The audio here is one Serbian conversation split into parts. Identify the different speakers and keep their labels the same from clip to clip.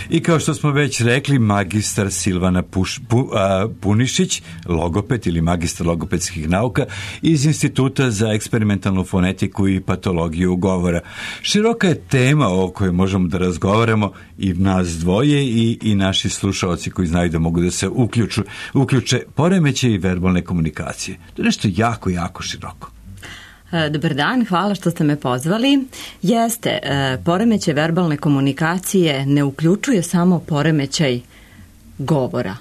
Speaker 1: I kao što smo već rekli, magistar Silvana Punišić, logoped ili magistar logopedskih nauka iz Instituta za eksperimentalnu fonetiku i patologiju govora. Široka je tema o kojoj možemo da razgovaramo i nas dvoje i naši slušaoci koji znaju da mogu da se uključe poremećaji verbalne komunikacije. To je nešto jako, jako široko.
Speaker 2: Dobar dan, hvala što ste me pozvali. Jeste, poremećaj verbalne komunikacije ne uključuje samo poremećaj govora,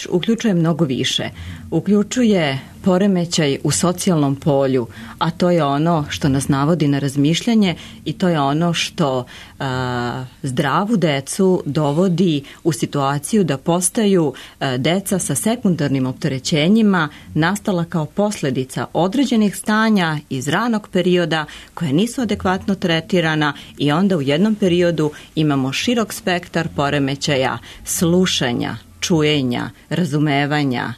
Speaker 2: uključuje mnogo više. Uključuje poremećaj u socijalnom polju, a to je ono što nas navodi na razmišljanje i to je ono što zdravu decu dovodi u situaciju da postaju deca sa sekundarnim opterećenjima nastala kao posljedica određenih stanja iz ranog perioda koje nisu adekvatno tretirana i onda u jednom periodu imamo širok spektar poremećaja slušanja, čujenja, razumevanja,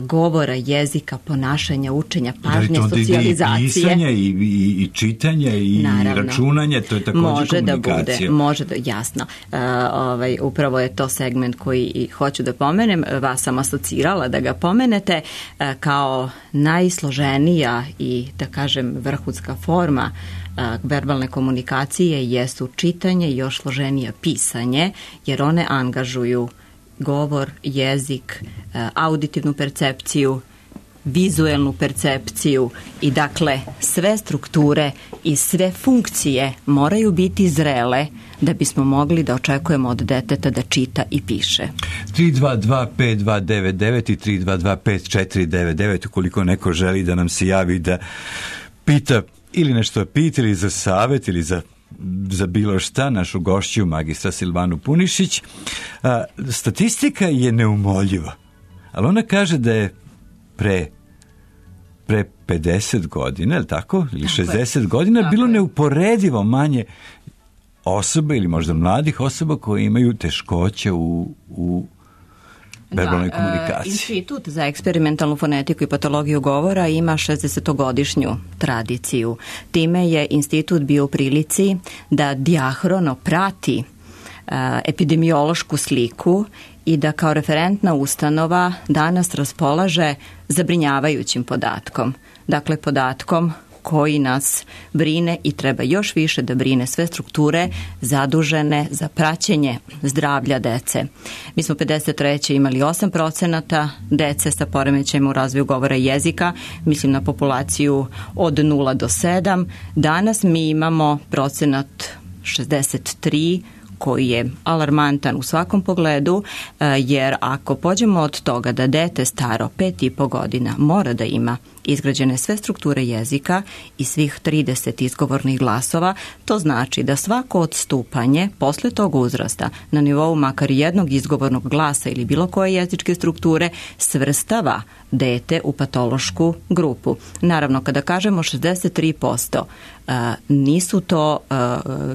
Speaker 2: govora, jezika, ponašanja, učenja, pažnje, socijalizacije.
Speaker 1: I pisanja, i čitanja, i računanja, to je također komunikacija.
Speaker 2: Može da, jasno. Upravo je to segment koji hoću da pomenem. Vas sam asocirala da ga pomenete kao najsloženija i, da kažem, vrhunska forma verbalne komunikacije jesu čitanje i još složenija pisanje, jer one angažuju govor, jezik, auditivnu percepciju, vizuelnu percepciju i dakle sve strukture i sve funkcije moraju biti zrele da bismo mogli da očekujemo od deteta da čita i piše.
Speaker 1: 322-5299 i 322-5499 ukoliko neko želi da nam se javi da pita ili nešto pita ili za savjet ili za bilo šta, našu gošću magistra Silvanu Punišić. Statistika je neumoljiva, ali ona kaže da je pre 50 godina, ili tako? Ili 60 godina bilo neuporedivo manje osoba ili možda mladih osoba koje imaju teškoće u verbalnoj komunikaciji.
Speaker 2: Institut za eksperimentalnu fonetiku i patologiju govora ima 60-godišnju tradiciju. Time je institut bio u prilici da dijahrono prati epidemiološku sliku i da kao referentna ustanova danas raspolaže zabrinjavajućim podatkom. Dakle, podatkom koji nas brine i treba još više da brine sve strukture zadužene za praćenje zdravlja dece. Mi smo 53. imali 8% dece sa poremećajima u razvoju govora i jezika, mislim na populaciju od 0 do 7. Danas mi imamo procenat 63%, koji je alarmantan u svakom pogledu, jer ako pođemo od toga da dete staro 5,5 godina mora da ima izgrađene sve strukture jezika i svih 30 izgovornih glasova, to znači da svako odstupanje posle tog uzrasta na nivou makar jednog izgovornog glasa ili bilo koje jezičke strukture svrstava dete u patološku grupu. Naravno, kada kažemo 63%, nisu to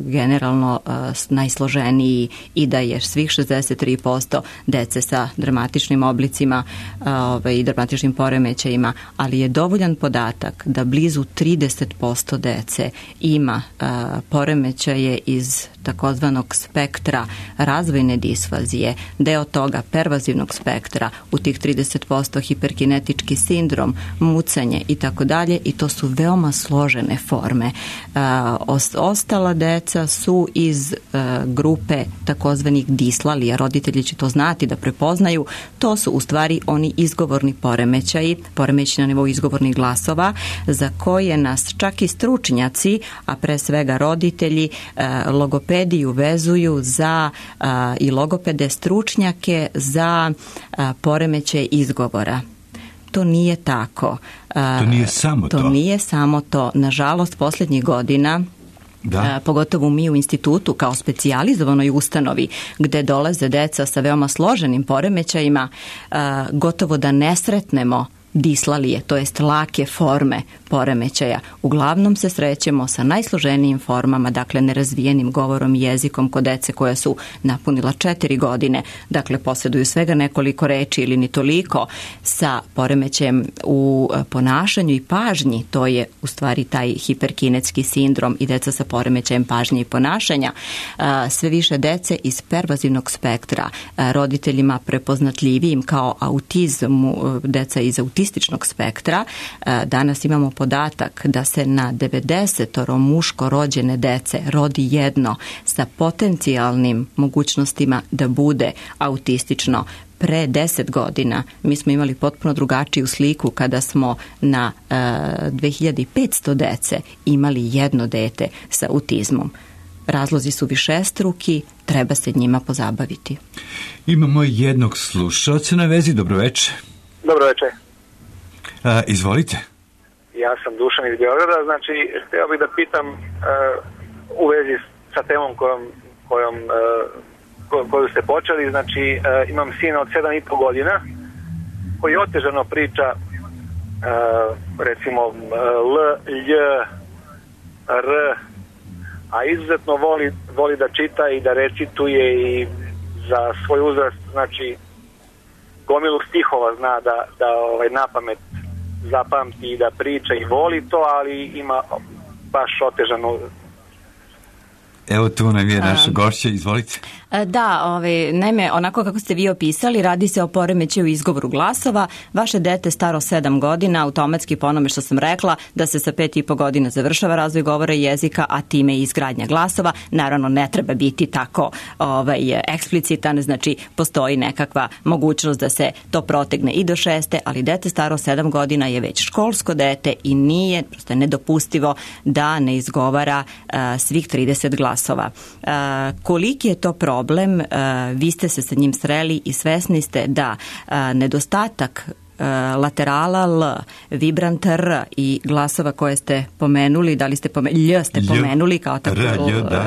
Speaker 2: generalno najsloženiji i da je svih 63% dece sa dramatičnim oblicima i dramatičnim poremećajima, ali je dovoljan podatak da blizu 30% dece ima poremećaje iz takozvanog spektra razvojne disfazije, deo toga pervazivnog spektra, u tih 30% hiperkinetički sindrom, mucanje i tako dalje, i to su veoma složene forme. Ostala deca su iz grupe takozvanih dislalija, roditelji će to znati da prepoznaju, to su u stvari oni izgovorni poremećaji na nivou izgovornih glasova, za koje nas čak i stručnjaci, a pre svega roditelji, logopediju vezuju za i logopede stručnjake za poremećaj izgovora. To nije tako. To nije samo to. Nažalost, posljednjih godina, pogotovo mi u institutu kao specijalizovanoj ustanovi gde dolaze deca sa veoma složenim poremećajima, gotovo da ne sretnemo dislalije, to jest lake forme poremećaja. Uglavnom se srećemo sa najsloženijim formama, dakle nerazvijenim govorom i jezikom kod dece koja su napunila 4 godine, dakle posjeduju svega nekoliko reči ili ni toliko, sa poremećajem u ponašanju i pažnji, to je u stvari taj hiperkinetski sindrom i deca sa poremećajem pažnje i ponašanja. Sve više dece iz pervazivnog spektra, roditeljima prepoznatljivijim kao autizmu, deca iz autističnog spektra. Danas imamo podatak da se na 90 muško rođene dece rodi jedno sa potencijalnim mogućnostima da bude autistično. Pre 10 godina mi smo imali potpuno drugačiju sliku kada smo na 2500 dece imali jedno dete sa autizmom. Razlozi su višestruki, treba se njima pozabaviti.
Speaker 1: Imamo jednog slušalca na vezi. Dobroveče.
Speaker 3: Dobroveče.
Speaker 1: Izvolite.
Speaker 3: Ja sam Dušan iz Beograda, znači htio bih da pitam u vezi sa temom koju ste počeli, znači imam sina od 7,5 godina koji otežano priča recimo L, Lj, R, a izuzetno voli da čita i da recituje i za svoj uzrast, znači gomilu stihova zna da napamet zapamti i da priča i voli to, ali ima baš otežanu.
Speaker 1: Evo tu nam je naša gošća, izvolite.
Speaker 2: Da, naime, onako kako ste vi opisali, radi se o poremećaju izgovoru glasova. Vaše dete staro 7 godina, automatski po onome što sam rekla, da se sa 5,5 godina završava razvoj govora i jezika, a time i izgradnja glasova. Naravno, ne treba biti tako eksplicitan, znači postoji nekakva mogućnost da se to protegne i do 6, ali dete staro 7 godina je već školsko dete i nije, prosto je nedopustivo da ne izgovara svih 30 glasova. Koliki je to problem? Vi ste se sa njim sreli i svesni ste da nedostatak laterala L, vibrant R i glasova koje ste pomenuli, da li ste Lj ste pomenuli kao tako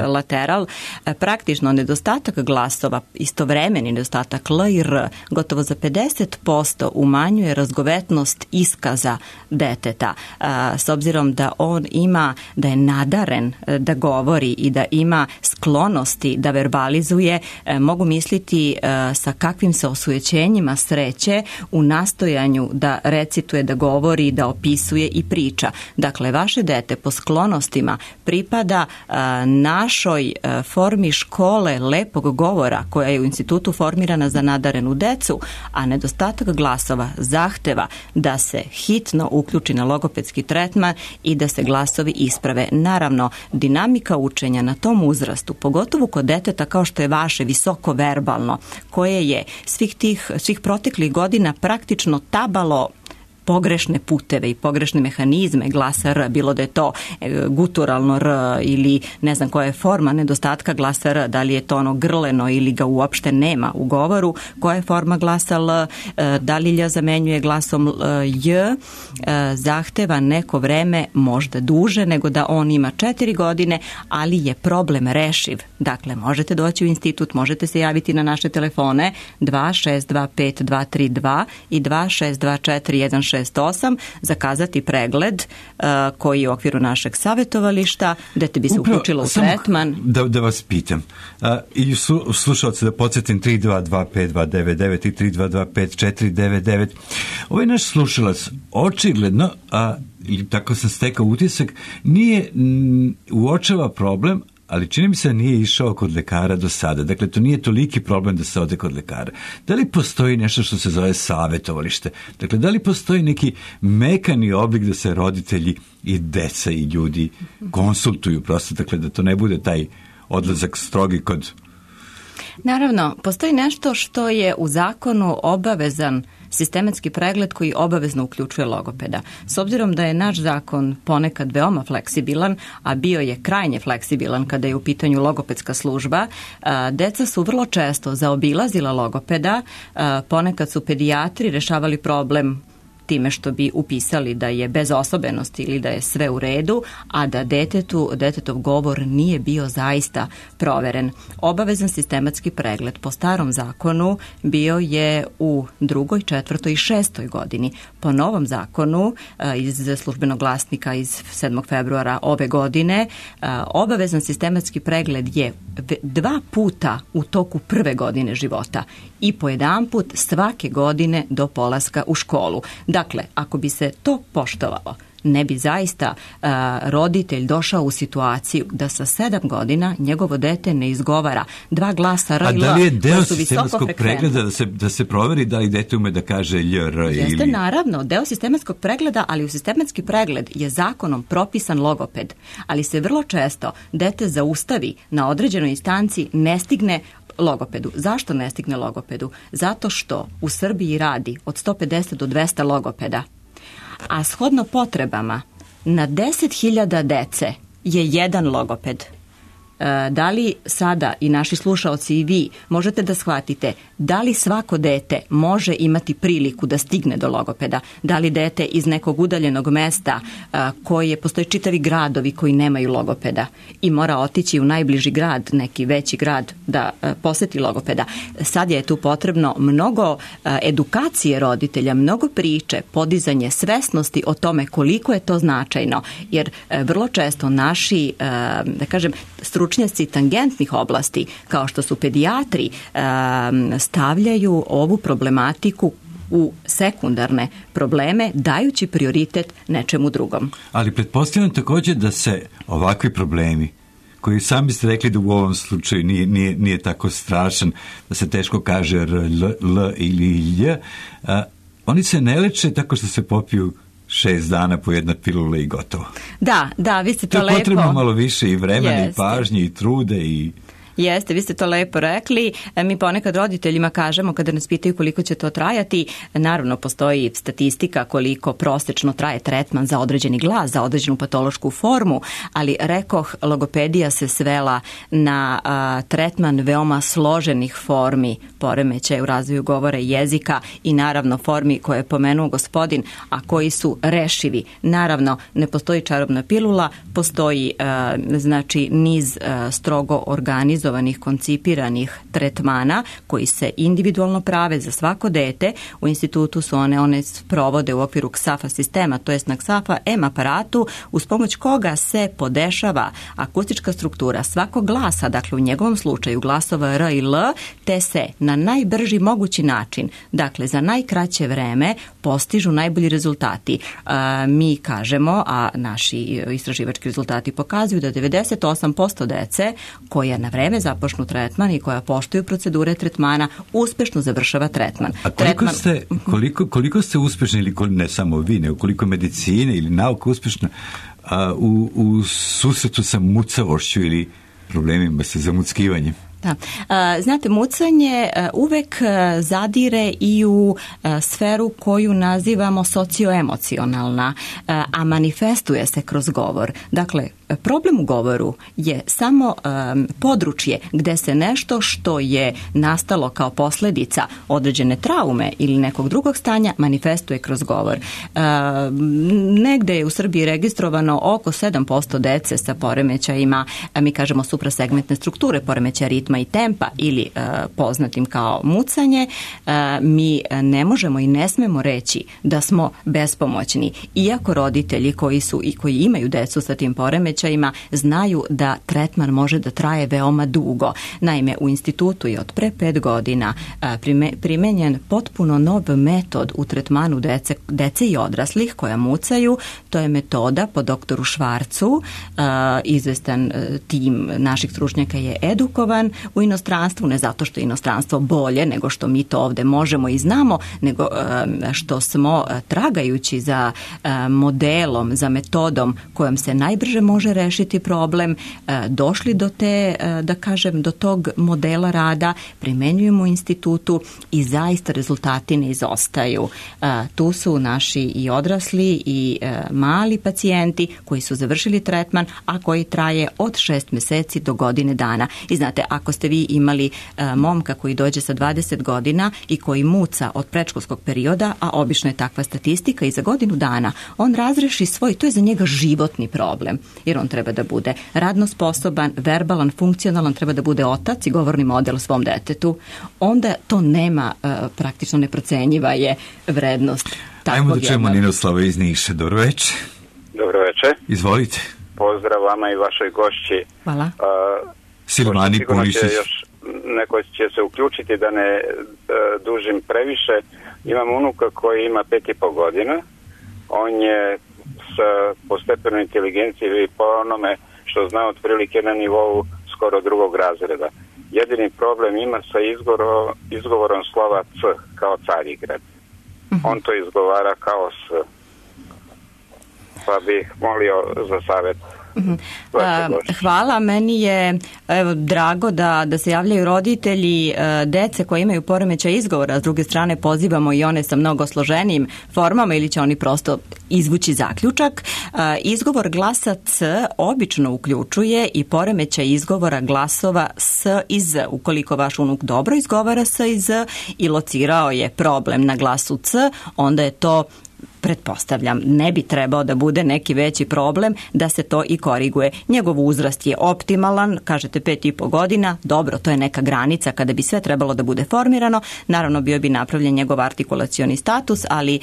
Speaker 2: lateral, praktično nedostatak glasova, istovremeni nedostatak L i R, gotovo za 50% umanjuje razgovetnost iskaza deteta. S obzirom da on ima, da je nadaren da govori i da ima sklonosti da verbalizuje, mogu misliti sa kakvim se osujećenjima sreće u nastojanju da recituje, da govori, da opisuje i priča. Dakle, vaše dete po sklonostima pripada našoj formi škole lepog govora koja je u institutu formirana za nadarenu decu, a nedostatak glasova zahteva da se hitno uključi na logopedski tretman i da se glasovi isprave. Naravno, dinamika učenja na tom uzrastu, pogotovo kod deteta kao što je vaše, visoko verbalno, koje je svih proteklih godina praktično tabalo pogrešne puteve i pogrešne mehanizme glasa R, bilo da je to guturalno R ili ne znam koja je forma nedostatka glasa R, da li je to ono grleno ili ga uopšte nema u govoru, koja je forma glasa L, da li Lj zamenjuje glasom J, zahteva neko vreme, možda duže nego da on ima 4 godine, ali je problem rešiv. Dakle, možete doći u institut, možete se javiti na naše telefone 2625-232 i 2624-168, zakazati pregled koji je u okviru našeg savjetovališta, dete bi se uključilo u tretman.
Speaker 1: Da vas pitam, i slušalce da podsjetim 3225-299 i 3225-499. Ovaj naš slušalac očigledno, i tako sam stekao utisak, nije uočava problem, ali čini mi se da nije išao kod lekara do sada. Dakle, to nije toliki problem da se ode kod lekara. Da li postoji nešto što se zove savjetovalište? Dakle, da li postoji neki mekani oblik da se roditelji i deca i ljudi konsultuju prosto, dakle, da to ne bude taj odlazak strogi kod...
Speaker 2: Naravno, postoji nešto što je u zakonu obavezan sistematski pregled koji obavezno uključuje logopeda. S obzirom da je naš zakon ponekad veoma fleksibilan, a bio je krajnje fleksibilan kada je u pitanju logopedska služba, deca su vrlo često zaobilazila logopeda, ponekad su pedijatri rešavali problem time što bi upisali da je bez osobenosti ili da je sve u redu, a da detetov govor nije bio zaista proveren. Obavezan sistematski pregled po starom zakonu bio je u 2., 4. i 6. godini. Po novom zakonu iz Službenog glasnika iz 7. februara ove godine obavezan sistematski pregled je 2 puta u toku prve godine života i po 1 put svake godine do polaska u školu. Dakle, ako bi se to poštovalo, ne bi zaista roditelj došao u situaciju da sa 7 godina njegovo dete ne izgovara 2 glasa R i L.
Speaker 1: A da li je deo sistematskog pregleda da se proveri da li dete ume da kaže Lj, R ili...
Speaker 2: Jeste, naravno, deo sistematskog pregleda, ali u sistematski pregled je zakonom propisan logoped, ali se vrlo često dete zaustavi na određenoj instanci, ne stigne logopedu. Zašto ne stigne logopedu? Zato što u Srbiji radi od 150 do 200 logopeda, a shodno potrebama na 10.000 dece je 1 logoped. Da li sada i naši slušaoci i vi možete da shvatite da li svako dete može imati priliku da stigne do logopeda? Da li dete iz nekog udaljenog mesta postoje čitavi gradovi koji nemaju logopeda i mora otići u najbliži grad, neki veći grad da poseti logopeda? Sad je tu potrebno mnogo edukacije roditelja, mnogo priče, podizanje svesnosti o tome koliko je to značajno, jer vrlo često naši, da kažem, stručnjaci tangentnih oblasti, kao što su pedijatri, stavljaju ovu problematiku u sekundarne probleme, dajući prioritet nečemu drugom.
Speaker 1: Ali pretpostavljam također da se ovakvi problemi, koji sami ste rekli da u ovom slučaju nije tako strašan, da se teško kaže R, L ili Lj, oni se ne leče tako što se popiju 6 dana po 1 pilula i gotovo.
Speaker 2: Da, vi ste to lepo...
Speaker 1: To je potrebno malo više i vremena i pažnje i trude i...
Speaker 2: Jeste, vi ste to lepo rekli. Mi ponekad roditeljima kažemo kada nas pitaju koliko će to trajati, naravno postoji statistika koliko prosečno traje tretman za određeni glas, za određenu patološku formu, ali rekoh, logopedija se svela na tretman veoma složenih formi poremećaja u razvoju govora i jezika i naravno formi koje je pomenuo gospodin, a koji su rešivi. Naravno, ne postoji čarobna pilula, postoji znači niz strogo organizovanih, koncipiranih tretmana koji se individualno prave za svako dete. U institutu su one provode u okviru KSAFA sistema, to jest na KSAFA M aparatu, uz pomoć koga se podešava akustička struktura svakog glasa, dakle u njegovom slučaju glasova R i L, te se na najbrži mogući način, dakle za najkraće vreme, postižu najbolji rezultati. Mi kažemo, a naši istraživački rezultati pokazuju da 98% dece koja na vreme započnu tretman i koja poštuju procedure tretmana uspešno završava tretman.
Speaker 1: A koliko ste uspešni, ili ne samo vi, nego koliko medicine ili nauka uspešna u susretu sa mucavošću ili problemima sa zamuckivanjem?
Speaker 2: Da. Znate, mucanje uvek zadire i u sferu koju nazivamo socioemocionalna, a manifestuje se kroz govor. Dakle, problem u govoru je samo područje gde se nešto što je nastalo kao posljedica određene traume ili nekog drugog stanja manifestuje kroz govor. Negde je u Srbiji registrovano oko 7% dece sa poremećajima, mi kažemo suprasegmentne strukture, poremećaja ritma i tempa ili poznatim kao mucanje. Mi ne možemo i ne smemo reći da smo bespomoćni, iako roditelji koji imaju decu sa tim poremećajima znaju da tretman može da traje veoma dugo. Naime, u institutu je od pre 5 godina primenjen potpuno nov metod u tretmanu dece i odraslih koja mucaju. To je metoda po doktoru Švarcu. Izvestan tim naših stručnjaka je edukovan u inostranstvu, ne zato što je inostranstvo bolje nego što mi to ovde možemo i znamo, nego što smo tragajući za modelom, za metodom kojom se najbrže može može rešiti problem, došli do te, da kažem, do tog modela rada, primenjujemo u institutu i zaista rezultati ne izostaju. Tu su naši i odrasli i mali pacijenti koji su završili tretman, a koji traje od 6 meseci do godine dana. I znate, ako ste vi imali momka koji dođe sa 20 godina i koji muca od predškolskog perioda, a obično je takva statistika, i za godinu dana on razreši svoj, to je za njega životni problem, jer on treba da bude radno sposoban, verbalan, funkcionalan, treba da bude otac i govorni model svom detetu, onda to nema, praktično neprocenjiva je vrednost.
Speaker 1: Ajmo da čujemo Ninoslava iz Niša. Dobro večer.
Speaker 4: Dobro večer.
Speaker 1: Izvolite.
Speaker 4: Pozdrav vama i vašoj gošći.
Speaker 2: Hvala.
Speaker 1: Silvani Punišić.
Speaker 4: Neko će se uključiti, da ne dužim previše. Imam unuka koji ima 5,5 godina. On je po stepenu inteligencije i po onome što zna otprilike na nivou skoro drugog razreda. Jedini problem ima sa izgovorom slova C, kao Carigrad. On to izgovara kao S. Pa bih molio za savjet.
Speaker 2: Hvala, meni je drago da se javljaju roditelji dece koji imaju poremećaj izgovora, s druge strane pozivamo i one sa mnogo složenijim formama ili će oni prosto izvući zaključak. Izgovor glasa C obično uključuje i poremećaj izgovora glasova S i Z. Ukoliko vaš unuk dobro izgovara S i Z i locirao je problem na glasu C, onda je to, pretpostavljam, ne bi trebao da bude neki veći problem da se to i koriguje. Njegov uzrast je optimalan, kažete 5,5 godina, dobro, to je neka granica kada bi sve trebalo da bude formirano. Naravno, bio bi napravljen njegov artikulacioni status, ali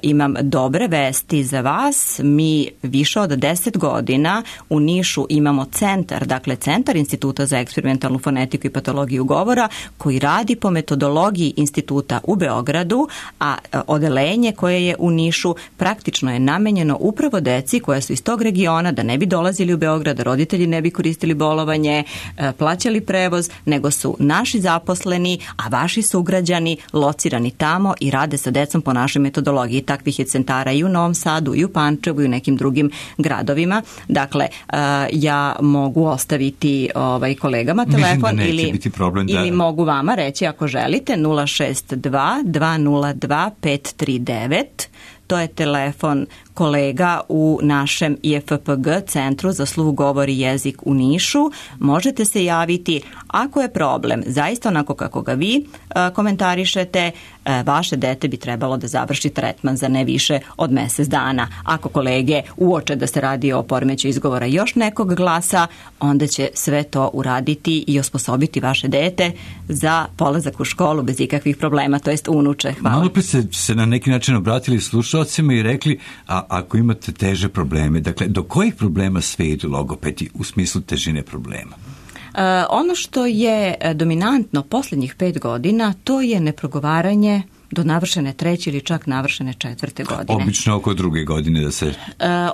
Speaker 2: imam dobre vesti za vas. Mi više od 10 godina u Nišu imamo centar, dakle Centar Instituta za eksperimentalnu fonetiku i patologiju govora, koji radi po metodologiji instituta u Beogradu, a odeljenje koje je u Nišu praktično je namenjeno upravo deci koja su iz tog regiona, da ne bi dolazili u Beograd, da roditelji ne bi koristili bolovanje, plaćali prevoz, nego su naši zaposleni, a vaši sugrađani locirani tamo i rade sa decom po našoj metodologiji. Takvih je centara i u Novom Sadu, i u Pančevu, i u nekim drugim gradovima. Dakle, ja mogu ostaviti kolegama telefon ili mogu vama reći ako želite 062 202 539. To je telefon kolega u našem IFPG, Centru za sluh, govor i jezik u Nišu. Možete se javiti ako je problem zaista onako kako ga vi komentarišete. Vaše dete bi trebalo da završi tretman za ne više od mesec dana. Ako kolege uoče da se radi o poremećaju izgovora još nekog glasa, onda će sve to uraditi i osposobiti vaše dete za polazak u školu bez ikakvih problema, to jest unuče. Hvala.
Speaker 1: Malo pre ste se na neki način obratili slušalcima i rekli, a ako imate teže probleme, dakle, do kojih problema sve idu logopedi u smislu težine problema?
Speaker 2: Ono što je dominantno posljednjih 5 godina, to je neprogovaranje do navršene 3. ili čak navršene 4. godine.
Speaker 1: Obično oko 2. godine da se...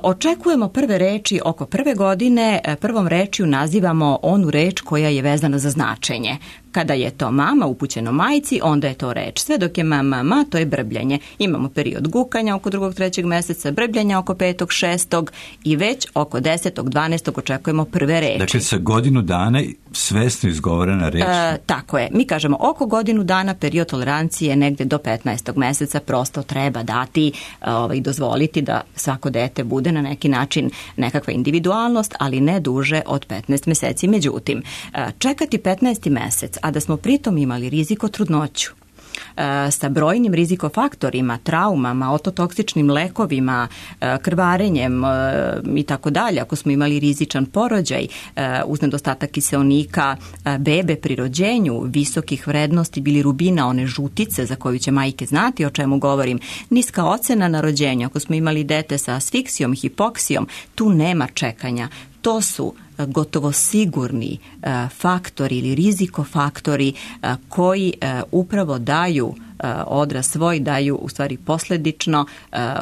Speaker 2: Očekujemo prve reči oko 1. godine. Prvom rečju nazivamo onu reč koja je vezana za značenje. Kada je to mama upućeno majci, onda je to reč. Sve dok je mama, to je brbljanje. Imamo period gukanja oko 2. 3. meseca, brbljanja oko 5. 6. i već oko 10. 12. očekujemo prve reči.
Speaker 1: Dakle, sa godinu dana svesno izgovorena reč?
Speaker 2: Tako je. Mi kažemo oko godinu dana, period tolerancije negde do 15. meseca, prosto treba dati i dozvoliti da svako dete bude na neki način nekakva individualnost, ali ne duže od 15 meseci. Međutim, čekati 15. mesec, a da smo pritom imali rizik od trudnoću, sa brojnim rizikofaktorima, traumama, ototoksičnim lekovima, krvarenjem i tako dalje, ako smo imali rizičan porođaj uz nedostatak kiseonika bebe pri rođenju, visokih vrednosti bilirubina, one žutice za koju će majke znati o čemu govorim, niska ocena na rođenju, ako smo imali dete sa asfiksijom, hipoksijom, tu nema čekanja. To su gotovo sigurni faktori ili rizikofaktori koji upravo daju odraz svoj daju u stvari posledično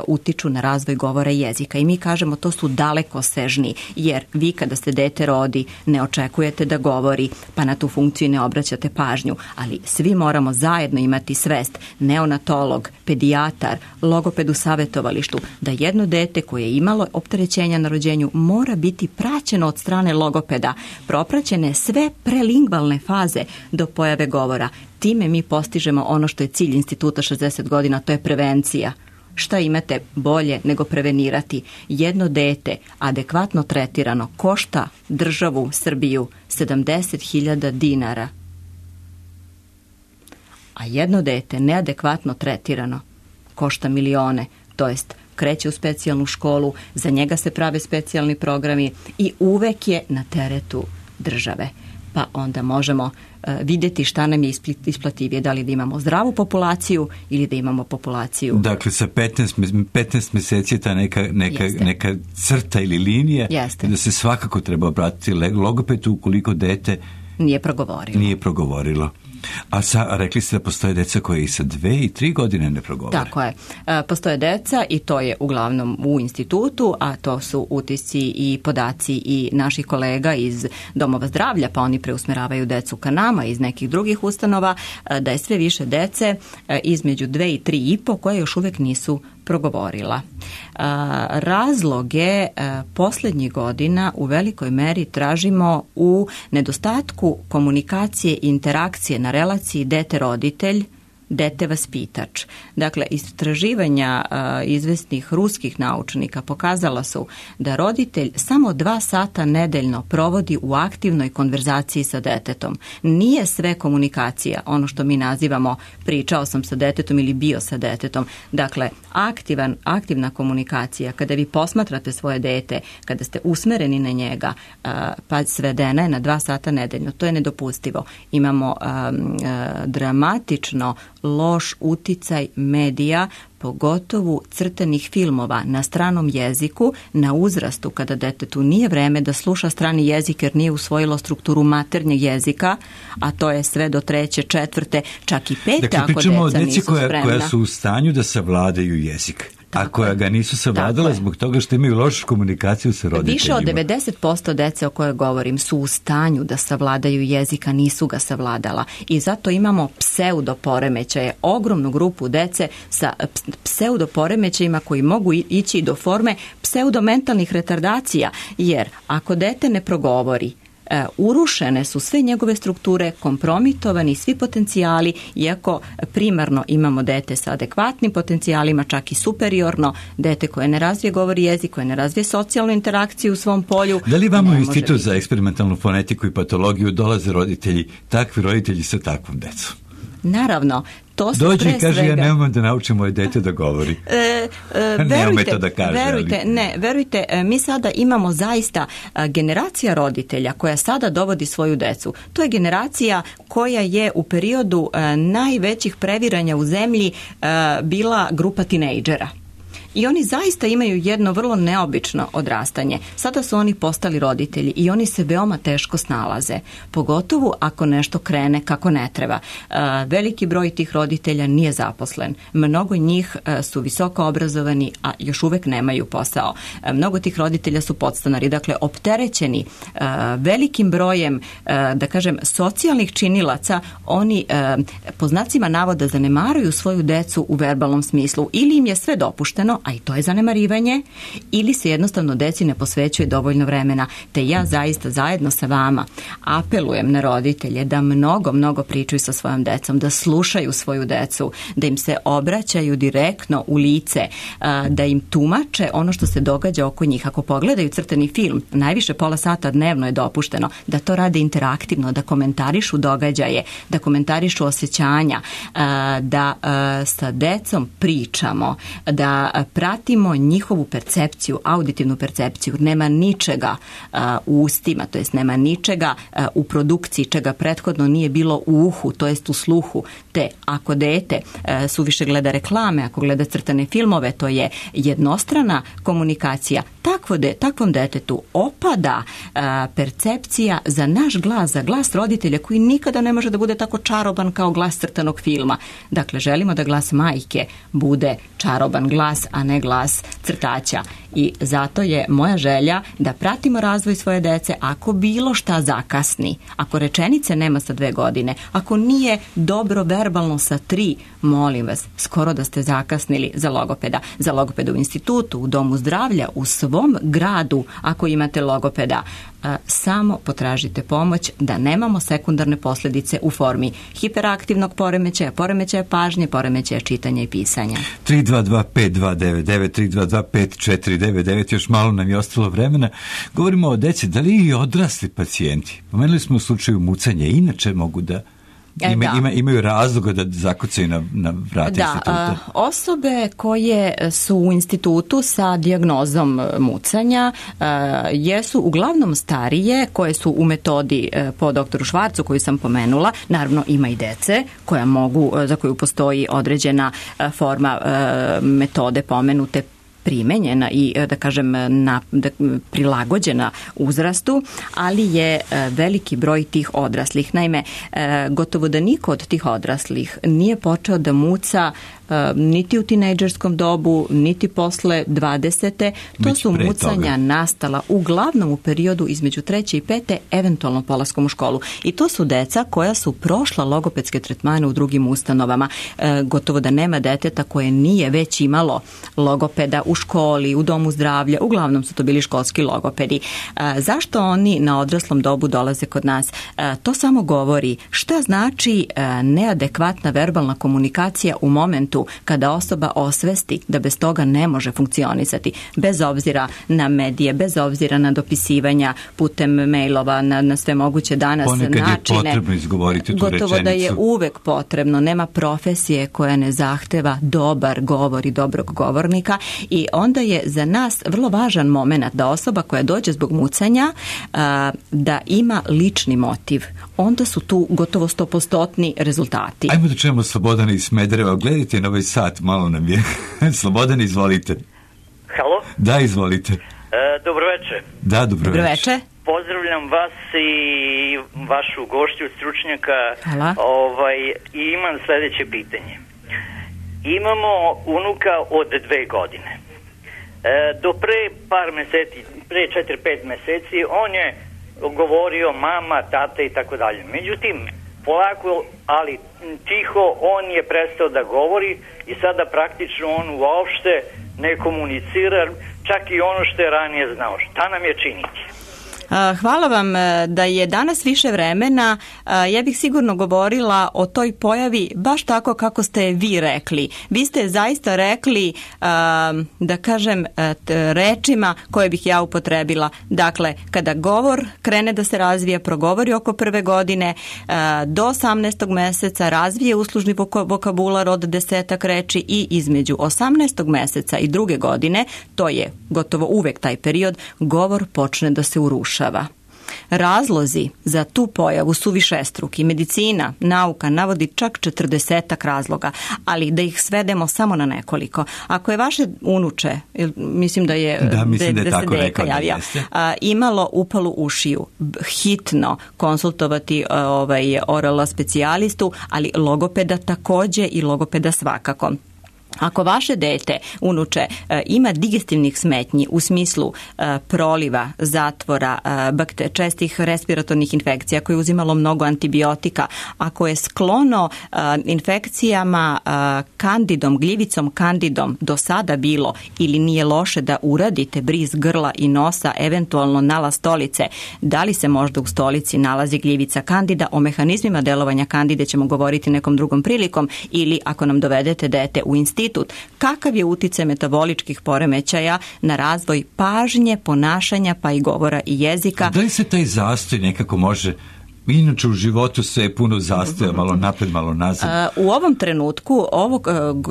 Speaker 2: utiču na razvoj govora i jezika. I mi kažemo to su dalekosežni, jer vi kada se dete rodi ne očekujete da govori, pa na tu funkciju ne obraćate pažnju, ali svi moramo zajedno imati svest, neonatolog, pedijatar, logoped u savjetovalištu, da jedno dete koje je imalo opterećenja na rođenju mora biti praćeno od strane logopeda, propraćene sve prelingvalne faze do pojave govora. Time mi postižemo ono što je cilj Instituta 60 godina, to je prevencija. Šta imate bolje nego prevenirati? Jedno dete adekvatno tretirano košta državu Srbiju 70.000 dinara. A jedno dete neadekvatno tretirano košta milione, to jest kreće u specijalnu školu, za njega se prave specijalni programi i uvek je na teretu države. Pa onda možemo vidjeti šta nam je isplativije, da li da imamo zdravu populaciju ili da imamo populaciju.
Speaker 1: Dakle, sa 15 mjeseci ta neka crta ili linija, da se svakako treba obratiti logopedu ukoliko dete nije progovorilo. A rekli ste da postoje deca koje i sa 2 i 3 godine ne progovore.
Speaker 2: Tako je. Postoje deca i to je uglavnom u institutu, a to su utisci i podaci i naših kolega iz domova zdravlja, pa oni preusmeravaju decu ka nama iz nekih drugih ustanova, da je sve više dece između 2 i 3,5 koje još uvijek nisu progovorila. Razloge posljednjih godina u velikoj meri tražimo u nedostatku komunikacije i interakcije na relaciji dete-roditelj, dete-vaspitač. Dakle, istraživanja izvesnih ruskih naučnika pokazala su da roditelj samo 2 sata nedeljno provodi u aktivnoj konverzaciji sa detetom. Nije sve komunikacija, ono što mi nazivamo pričao sam sa detetom ili bio sa detetom. Dakle, aktivna komunikacija, kada vi posmatrate svoje dete, kada ste usmereni na njega, pa svedena je na 2 sata nedeljno. To je nedopustivo. Imamo dramatično loš uticaj medija, pogotovo crtanih filmova na stranom jeziku, na uzrastu kada detetu nije vreme da sluša strani jezik jer nije usvojilo strukturu maternjeg jezika, a to je sve do 3., 4., čak i 5.
Speaker 1: Dakle,
Speaker 2: ako deca nisu spremna.
Speaker 1: Koja su u stanju da savladaju jezik. A koja ga nisu savladala zbog toga što imaju lošu komunikaciju sa roditeljima.
Speaker 2: Više od 90% dece o kojoj govorim su u stanju da savladaju jezika, nisu ga savladala. I zato imamo pseudoporemećaje, ogromnu grupu dece sa pseudoporemećajima koji mogu ići do forme pseudomentalnih retardacija. Jer ako dete ne progovori, urušene su sve njegove strukture, kompromitovani svi potencijali, iako primarno imamo dete sa adekvatnim potencijalima, čak i superiorno, dete koje ne razvije govor jezik, koje ne razvije socijalnu interakciju u svom polju.
Speaker 1: Da li vam u Institut za eksperimentalnu fonetiku i patologiju dolaze roditelji, takvi roditelji sa takvom decom?
Speaker 2: Naravno.
Speaker 1: Dođe i kaže, ja ne umem da naučim moje dete da govori. Ne ume to da kaže.
Speaker 2: Verujte, mi sada imamo zaista generacija roditelja koja sada dovodi svoju decu. To je generacija koja je u periodu najvećih previranja u zemlji bila grupa tinejdžera. I oni zaista imaju jedno vrlo neobično odrastanje. Sada su oni postali roditelji i oni se veoma teško snalaze. Pogotovo ako nešto krene kako ne treba. Veliki broj tih roditelja nije zaposlen. Mnogo njih su visoko obrazovani, a još uvek nemaju posao. Mnogo tih roditelja su podstanari. Dakle, opterećeni velikim brojem, da kažem, socijalnih činilaca, oni po znacima navoda zanemaruju svoju decu u verbalnom smislu. Ili im je sve dopušteno, a i to je zanemarivanje, ili se jednostavno deci ne posvećuje dovoljno vremena. Te ja zaista zajedno sa vama apelujem na roditelje da mnogo pričaju sa svojom decom, da slušaju svoju decu, da im se obraćaju direktno u lice, da im tumače ono što se događa oko njih. Ako pogledaju crtani film, najviše pola sata dnevno je dopušteno, da to rade interaktivno, da komentarišu događaje, da komentarišu osjećanja, da sa decom pričamo, da pratimo njihovu percepciju, auditivnu percepciju. Nema ničega u ustima, to jest nema ničega u produkciji čega prethodno nije bilo u uhu, to jest u sluhu. Te ako dete suviše gleda reklame, ako gleda crtane filmove, to je jednostrana komunikacija. Takvom detetu opada percepcija za naš glas, za glas roditelja koji nikada ne može da bude tako čaroban kao glas crtanog filma. Dakle, želimo da glas majke bude čaroban glas, a ne glas crtača. I zato je moja želja da pratimo razvoj svoje dece. Ako bilo šta zakasni, ako rečenice nema sa 2 godine, ako nije dobro verbalno sa 3, molim vas, skoro da ste zakasnili za logopeda. Za logopeda u institutu, u domu zdravlja, u svom gradu, ako imate logopeda, samo potražite pomoć da nemamo sekundarne posljedice u formi hiperaktivnog poremećaja, poremećaja pažnje, poremećaja čitanja i pisanja.
Speaker 1: 322-5299, 322-5499, još malo nam je ostalo vremena. Govorimo o deci, da li i odrasli pacijenti? Pomenuli smo u slučaju mucanja, inače mogu da imaju razloga da zakucaju na vrata instituta.
Speaker 2: Osobe koje su u institutu sa dijagnozom mucanja jesu uglavnom starije, koje su u metodi po doktoru Švarcu koju sam pomenula. Naravno ima i dece koja mogu, za koju postoji određena forma metode pomenute, primenjena i da kažem prilagođena uzrastu, ali je veliki broj tih odraslih. Naime, gotovo da niko od tih odraslih nije počeo da muca niti u tinejdžerskom dobu, niti posle 20. To su mucanja nastala uglavnom u periodu između 3. i 5. eventualno polaskom u školu. I to su deca koja su prošla logopedske tretmane u drugim ustanovama. Gotovo da nema deteta koje nije već imalo logopeda u školi, u domu zdravlja, uglavnom su to bili školski logopedi. Zašto oni na odraslom dobu dolaze kod nas? To samo govori šta znači neadekvatna verbalna komunikacija u momentu kada osoba osvesti da bez toga ne može funkcionisati, bez obzira na medije, bez obzira na dopisivanja putem mailova, na sve moguće danas
Speaker 1: ponekad
Speaker 2: načine.
Speaker 1: Je potrebno izgovoriti tu rečenicu.
Speaker 2: Gotovo da je uvek potrebno. Nema profesije koja ne zahteva dobar govor i dobrog govornika i onda je za nas vrlo važan moment da osoba koja dođe zbog mucanja da ima lični motiv. Onda su tu gotovo 100% rezultati.
Speaker 1: Ajmo da čujemo Slobodana iz Smedereva. Gledajte na ovaj sat, malo nam je. Slobodan, izvolite.
Speaker 5: Halo?
Speaker 1: Da, izvolite.
Speaker 5: Dobro večer.
Speaker 1: Da, dobro večer.
Speaker 5: Pozdravljam vas i vašu gošću, stručnjaka.
Speaker 2: Hvala.
Speaker 5: I imam sljedeće pitanje. Imamo unuka od 2 godine. Do pre par meseci, pre 4-5 meseci, on je govorio mama, tata i tako dalje. Međutim, polako, ali tiho, on je prestao da govori i sada praktično on uopšte ne komunicira, čak i ono što je ranije znao. Šta nam je činiti?
Speaker 2: Hvala vam da je danas više vremena. Ja bih sigurno govorila o toj pojavi baš tako kako ste vi rekli. Vi ste zaista rekli, da kažem, rečima koje bih ja upotrebila. Dakle, kada govor krene da se razvija, progovori oko 1. godine, do 18. meseca razvije uslužni vokabular od 10 reči i između 18. meseca i 2. godine, to je gotovo uvek taj period, govor počne da se urušava. Razlozi za tu pojavu su višestruki. Medicina, nauka navodi čak 40 razloga, ali da ih svedemo samo na nekoliko. Ako je vaše unuče, mislim da je se deka javio, imalo upalu ušiju, hitno konsultovati oral specijalistu, ali logopeda takođe i logopeda svakako. Ako vaše dete, unuče, ima digestivnih smetnji u smislu proliva, zatvora, čestih respiratornih infekcija, koje je uzimalo mnogo antibiotika, ako je sklono infekcijama kandidom, gljivicom kandidom do sada bilo ili nije loše da uradite briz grla i nosa, eventualno nalaz stolice, da li se možda u stolici nalazi gljivica kandida, o mehanizmima delovanja kandide ćemo govoriti nekom drugom prilikom, ili ako nam dovedete dete u institut, kakav je uticaj metaboličkih poremećaja na razvoj pažnje, ponašanja pa i govora i jezika.
Speaker 1: Da li se taj zastoj nekako može Inače u životu sve je puno zastoja, malo napred, malo nazad.
Speaker 2: U ovom trenutku, ovo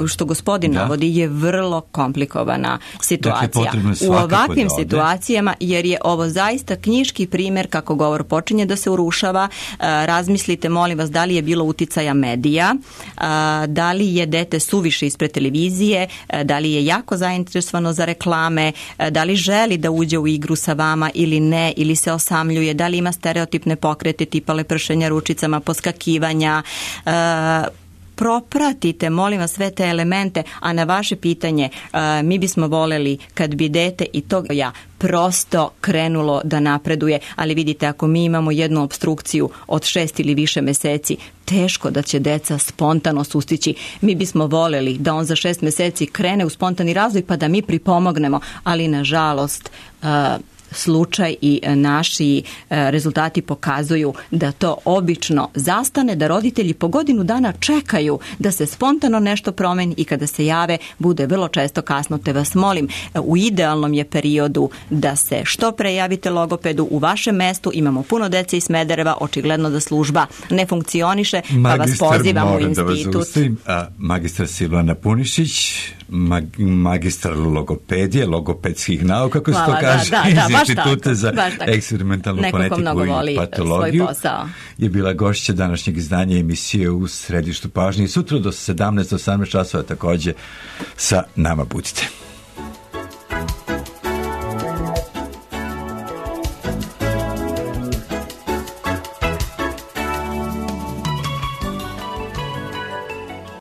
Speaker 2: što gospodin navodi je vrlo komplikovana situacija.
Speaker 1: Dakle,
Speaker 2: u ovakvim situacijama, jer je ovo zaista knjiški primjer kako govor počinje da se urušava. Razmislite, molim vas, da li je bilo uticaja medija, da li je dete suviše ispred televizije, da li je jako zainteresovano za reklame, da li želi da uđe u igru sa vama ili ne, ili se osamljuje, da li ima stereotipne pokrete tipa lepršenja ručicama, poskakivanja. Propratite, molim vas, sve te elemente, a na vaše pitanje mi bismo voleli kad bi dete i to prosto krenulo da napreduje, ali vidite, ako mi imamo jednu opstrukciju od 6 ili više meseci, teško da će deca spontano sustići. Mi bismo voleli da on za 6 meseci krene u spontani razvoj pa da mi pripomognemo, ali nažalost slučaj i naši rezultati pokazuju da to obično zastane, da roditelji po godinu dana čekaju da se spontano nešto promeni i kada se jave bude vrlo često kasno, te vas molim, u idealnom je periodu da se što pre javite logopedu u vašem mestu. Imamo puno dece iz Smedereva, očigledno da služba ne funkcioniše, pa vas pozivamo u institut.
Speaker 1: Magistar Silvana Punišić, magistar logopedije, logopedskih nauka, kako se to kaže, iz Instituta za eksperimentalnu fonetiku i patologiju, je bila gošća današnjeg izdanja emisije U središtu pažnje. I sutra do 17-18 časova također sa nama budite.